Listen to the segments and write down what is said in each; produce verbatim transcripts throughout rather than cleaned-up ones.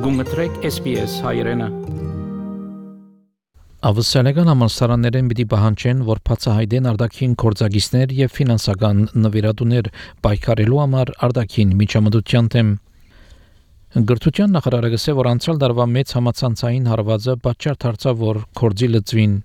Գումտրեք S B S հայրենը։ Ավստրալիական համալսարաններեն պիտի պահանջեն, որ բացահայտեն արտաքին գործակիցներ եւ ֆինանսական նվիրատուներ պայքարելու համար արտաքին միջամտության դեմ։ Գրթության նախարարը գսե, որ անցյալ տարվա մեծ համացանցային հարվածը պատճառ դարձավ, որ կորձի լծվին։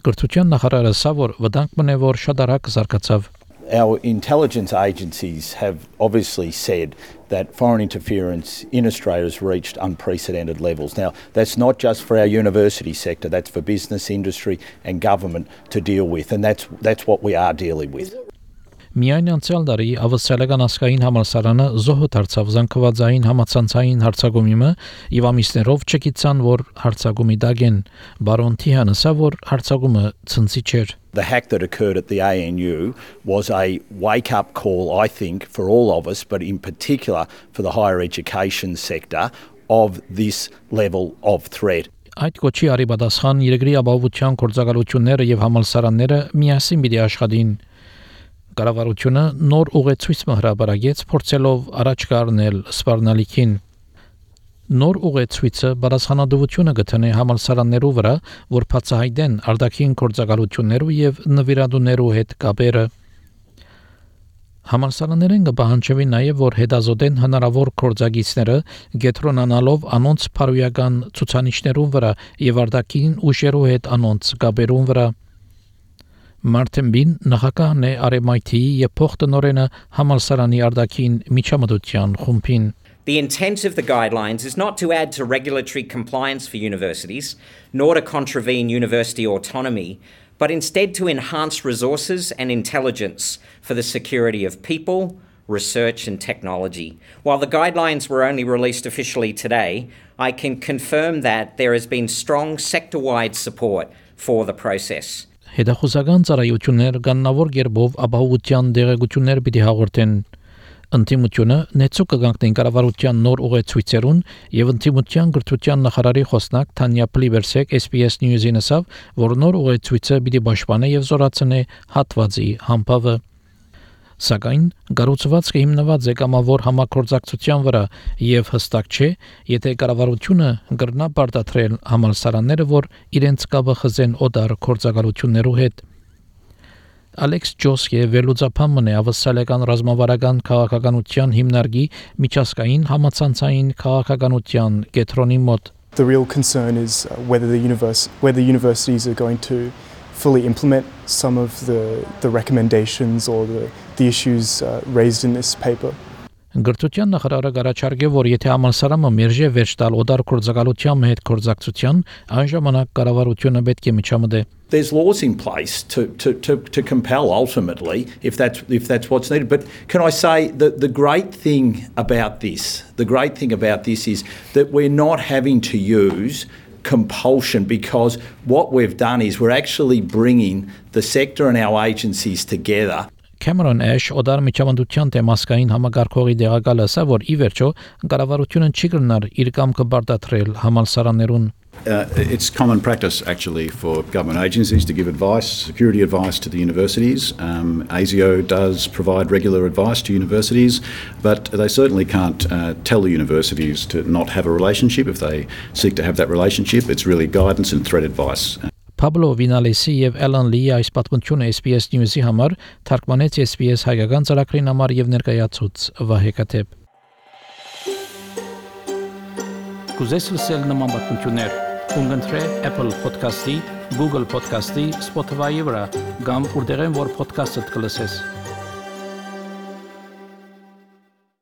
Գրթության նախարարը ասա, որ վտանգ մնե, որ շատ արագ զարգացավ։ Our intelligence agencies have obviously said that foreign interference in Australia has reached unprecedented levels. Now, that's not just for our university sector, that's for business, industry and government to deal with, and that's that's what we are dealing with. Միայն անցյալ տարի ավստրալիական ասկային համալսարանը զոհ դարձավ զանգվածային համացանցային հարցակումի եւ ամիսներով չգիտան, որ հարցակումի դագեն բարոն Թիհանը ասա, որ հարցակումը ցնցի չէր։ The hack that occurred at the A N U was a wake-up call, I think, for all of us, but in particular for the higher education sector, of this level of threat. Այդ կոչի արիբադասխան երկրի ապահովության գործակալությունները եւ համալսարանները միասին պիտի աշխատին։ Կառավարությունը նոր ուղեցույց հրապարակեց, փորձելով առաջ կառնել սպառնալիքին։ Նոր ուղեցույցը բարձրանալիությունը գտնե համալսարաններու վրա, որ բացահայտեն արտաքին գործակալություններու եւ նվիրատուներու հետ կապերը։ Համալսարաններեն կպահանջվի նաեւ, որ հետազոտեն հնարավոր գործակիցները, գետրոնանալով անոնց փարոյական ցուցանիշներուն վրա եւ արտաքին ուժերու հետ անոնց կապերուն վրա։ Martin Bin նախագահն է R M I T եւ փոխտնօրենը համալսարանի արտաքին միջամտության խումբին։ The intent of the guidelines is not to add to regulatory compliance for universities, nor to contravene university autonomy, but instead to enhance resources and intelligence for the security of people, research and technology. While the guidelines were only released officially today, I can confirm that there has been strong sector-wide support for the process. Հետախուզական ծառայություններ կաննավոր գերբով ապահովության դեղեցություններ պիտի հաղորդեն։ Ընտիմությունը նեցու կգանքնեն կառավարության նոր ուղեցույցերուն եւ ընտիմության գրթության նախարարի խոսնակ Թանյա Պլիվերսեկ S B S News-ին ասավ, որ նոր ուղեցույցը պիտի պաշտպանե եւ զորացնե հատվածի համբավը։ Սակայն գառուցվածքը հիմնված է կամավոր համագործակցության վրա եւ հստակ չէ, եթե կառավարությունը կրնա պարտադրել համալսարանները, որ իրենց կապը խզեն օտար գործակալություններու հետ։ Ալեքս Ջոսկե վերլուծապանն է ավստրալիական ռազմավարական քաղաքականության հիմնարկի միջազգային համացանցային քաղաքականության կենտրոնի մոտ։ The real concern is whether the universe whether universities are going to fully implement some of the the recommendations or the the issues uh, raised in this paper. Գրթության նախարարը գարաչարգե, որ եթե համալսարանը մերժե վերջ տալ օտար գործակալության հետ գործակցության, այն ժամանակ կառավարությունը պետք է միջամտե։ There's laws in place to to to to compel ultimately if that's if that's what's needed. But can I say that the great thing about this, the great thing about this is that we're not having to use compulsion, because what we've done is we're actually bringing the sector and our agencies together. Cameron Ash օտար միջամտության թեմասկային համագարկողի դեղակալը ասա, որ ի վերջո կառավարությունը չի կրնար իր կամքը բարդացրել համալսարաններուն։ Uh, it's common practice actually for government agencies to give advice, security advice to the universities. Um, A S I O does provide regular advice to universities, but they certainly can't uh, tell the universities to not have a relationship. If they seek to have that relationship, it's really guidance and threat advice. Pablo Vinalesi եւ Alan Lee այս պատմությունը S B S News-ի համար թարգմանեց S B S հայկական ծրագրին համար եւ ներկայացուց Վահե Կաթեփ։ Կուզես լսել նման պատմություններ, կընտրե Apple Podcast-ի, Google Podcast-ի, Spotify-ի վրա, կամ որտեղեն որ podcast-ը կլսես։